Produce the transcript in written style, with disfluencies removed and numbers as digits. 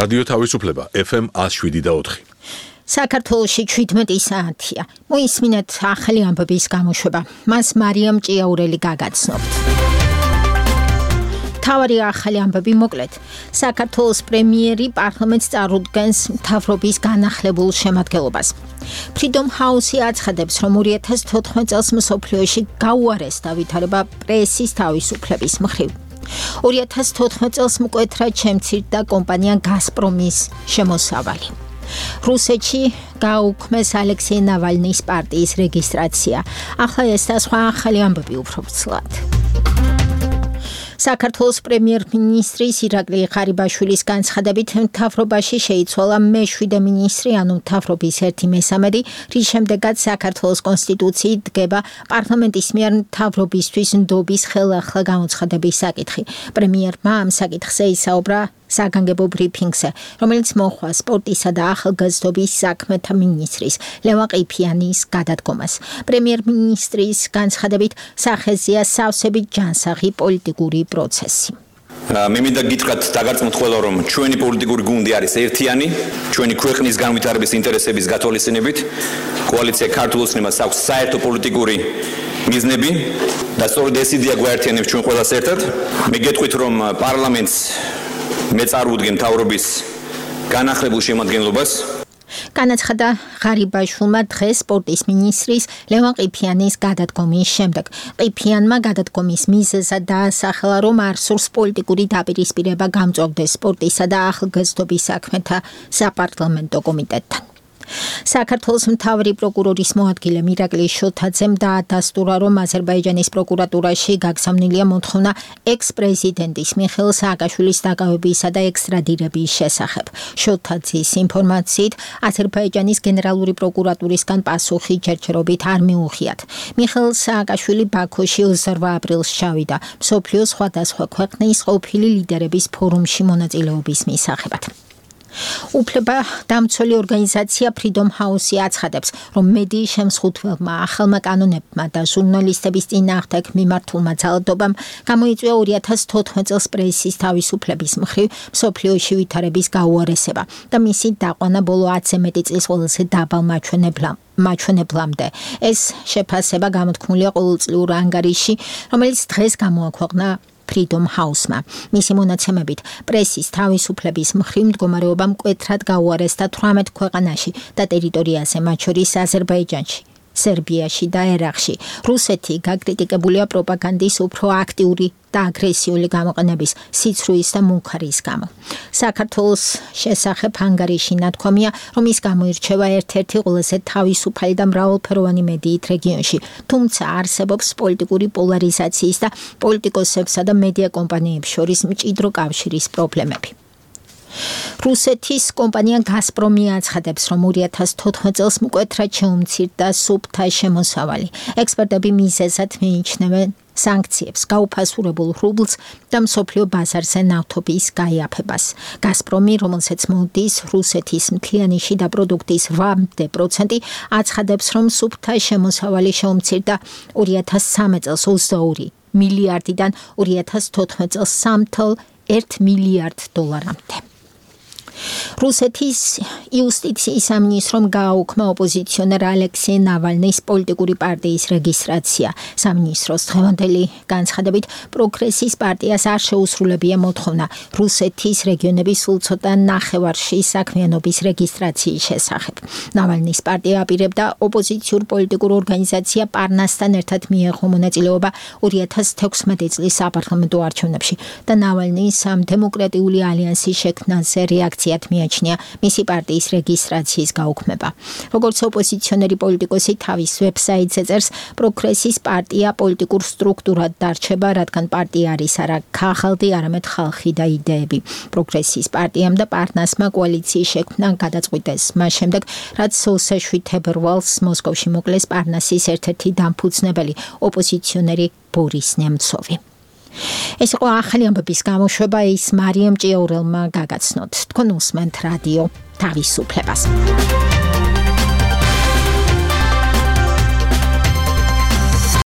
რადიო თავისუფლება FM 107.4. საქართველოში 17 საათია. მოისმინეთ ახალი ამბების გამოშვება. მას მარიამ ჭიაურელი გაგაცნობთ. თავარი ახალი ამბები მოკლედ. საქართველოს პრემიერი პარლამენტს წარუდგენს მთავრობის განახლებულ შემადგენლობას. Freedom House-ი აცხადებს, რომ 2014 წელს მსოფლიოში გაუარესდა ვითარება პრესის თავისუფლების მხრივ. 2014 წელს მკვეთრად შემცირდა კომპანია გაზპრომის შემოსავალი. რუსეთში გაუქმეს ალექსეი ნავალნის პარტიის რეგისტრაცია. ახლა ეს და სხვა ახალი ამბები უფრო ვრცლად. საქართველოს პრემიერ-მინისტრის ირაკლი ღარიბაშვილის განცხადებით მთავრობაში შეიცვალა მე-7 მინისტრი, ანუ მთავრობის 1/3, რის შემდეგაც საქართველოს კონსტიტუციით დგება პარლამენტის მიერ მთავრობისთვის ნდობის ხელახლა გამოცხადების საკითხი. პრემიერმა ამ საკითხზე ისაუბრა საგანგებო ბრიფინგზე, რომელიც მოჰყვა სპორტისა და ახალგაზრდობის საქმეთა მინისტრის ლევან ყიფიანის გადადგომას. პრემიერ-მინისტრის განცხადებით სახეზეა სავსებით ჯანსაღი პოლიტიკური პროცესი. მე მინდა გითხრათ დაგარწმუნდით ყველა, რომ ჩვენი პოლიტიკური გუნდი არის ერთიანი, ჩვენი ქვეყნის განვითარების ინტერესების გათვალისწინებით. კოალიცია ქართულ ოცნებას აქვს საერთო პოლიტიკური მიზნები და სწორედ ეს იდეა გვაერთიანებს ჩვენ ყველას ერთად. მე გეტყვით, რომ პარლამენტს მე წარუდგენ მთავრობის განახლებულ შემადგენლობას. განაცხადა ღარიბაშვილმა დღეს სპორტის მინისტრის ლევან ყიფიანის გადადგომის შემდეგ. ყიფიანმა გადადგომის მიზეზად დაასახელა, რომ არ სურს პოლიტიკური დაპირისპირება გამწვავდეს სპორტისა და ახალგაზრდობის საქმეთა საპარლამენტო კომიტეტთან. საქართველოს მთავარი პროკურორის მოადგილე ირაკლი შოთაძემ დაადასტურა, რომ აზერბაიჯანის პროკურატურაში გაგზავნილია მოთხოვნა ექს-პრეზიდენტის მიხეილ სააკაშვილის დაკავებისა და ექსტრადირების შესახებ. შოთაძის ინფორმაციით, აზერბაიჯანის გენერალური პროკურატურისგან პასუხი ჯერჯერობით არ მიუღიათ. მიხეილ სააკაშვილი ბაქოში 28 აპრილს ჩავიდა მსოფლიოს სხვადასხვა ქვეყნის ყოფილი ლიდერების ფორუმში მონაწილეობის მისაღებად. უფლება დამცველი ორგანიზაცია Freedom House-ი აცხადებს, რომ მედიის შემსხუთველმა ახალმა კანონებმა და ჟურნალისტების წინააღმდეგ მიმართულმა ძალადობამ გამოიწვია 2014 წელს პრესის თავისუფლების მხრივ მსოფლიოში ვითარების გაუარესება და მისი დაყვანა ბოლო 10 მეტი წლის ყველაზე დაბალ მაჩვენებლამდე. ეს შეფასება გამოთქმულია ყოველწლიურ ანგარიში, რომელიც დღეს გამოაქვეყნა Freedom House-მა. მისი მონაცემებით, პრესის თავისუფლების მხრივ მდგომარეობა მკვეთრად გაუარესდა 18 ქვეყანაში და ტერიტორიაზე, მათ შორის აზერბაიჯანში, სერბიაში და ერაყში. რუსეთი გაკრიტიკებულია პროპაგანდის უფრო აქტიური და აგრესიული გამოყენების, სიცრუის და მუქარის გამო. საქართველოს შესახებ ანგარიში ნათქვამია, რომ ის გამოირჩევა ერთ-ერთი ყველაზე თავისუფალი და მრავალფეროვანი მედიით რეგიონში, თუმცა არსებობს პოლიტიკური პოლარიზაციის და პოლიტიკოსებსა და მედია კომპანიებს შორის მჭიდრო კავშირის პრობლემები. რუსეთის კომპანია გაზპრომი აცხადებს, რომ 2014 წელს მკვეთრად შეუმცირდა სუფთა შემოსავალი. ექსპერტები მიზეზად მიიჩნევენ სანქციებს, გაუფასურებულ რუბლს და მსოფლიო ბაზარზე ნავთობის გაიაფებას. გაზპრომი, რომელსაც მოდის რუსეთის მთლიანი შიდა პროდუქტის 8%, აცხადებს, რომ სუფთა შემოსავალი შეუმცირდა 2013 წელს 22 მილიარდიდან 2014 წელს 3,1 მილიარდ დოლარამდე. რუსეთის იუსტიციის სამინისტრომ გააუქმა ოპოზიციონერ ალექსეი ნავალნის პოლიტიკური პარტიის რეგისტრაცია. სამინისტროს დღევანდელი განცხადებით, პროგრესის პარტიას არ შეუსრულებია მოთხოვნა რუსეთის რეგიონების სულ ცოტა ნახევარში საქმიანობის რეგისტრაციის შესახებ. ნავალნის პარტია აპირებდა ოპოზიციურ პოლიტიკურ ორგანიზაცია პარნასთან ერთად მიეღო მონაწილეობა 2016 წლის საპარლამენტო არჩევნებში და ნავალნის დემოკრატიული ალიანსის შექმნაზე რეაქცია მიაჩნია მისი პარტიის რეგისტრაციის გაუქმება. როგორც ოპოზიციონერი პოლიტიკოსი თავის ვებსაიტზე წერს, პროგრესის პარტია პოლიტიკურ სტრუქტურად დარჩება, რადგან პარტია არის არა ქაღალდი, არამედ ხალხი და იდეები. პროგრესის პარტიამ და პარნასმა კოალიციის შექმნა გადაწყვიტეს, მას შემდეგ, რაც 27 თებერვალს მოსკოვში მოკლეს პარნასის ერთ-ერთი დამფუძნებელი ოპოზიციონერი ბორის ნემცოვი. ეს იყო ახალი ამბების გამოშვება, ის მარიამ ჭიაურელმა გაგაცნოთ. თქვენ უსმენთ რადიო თავისუფლებას.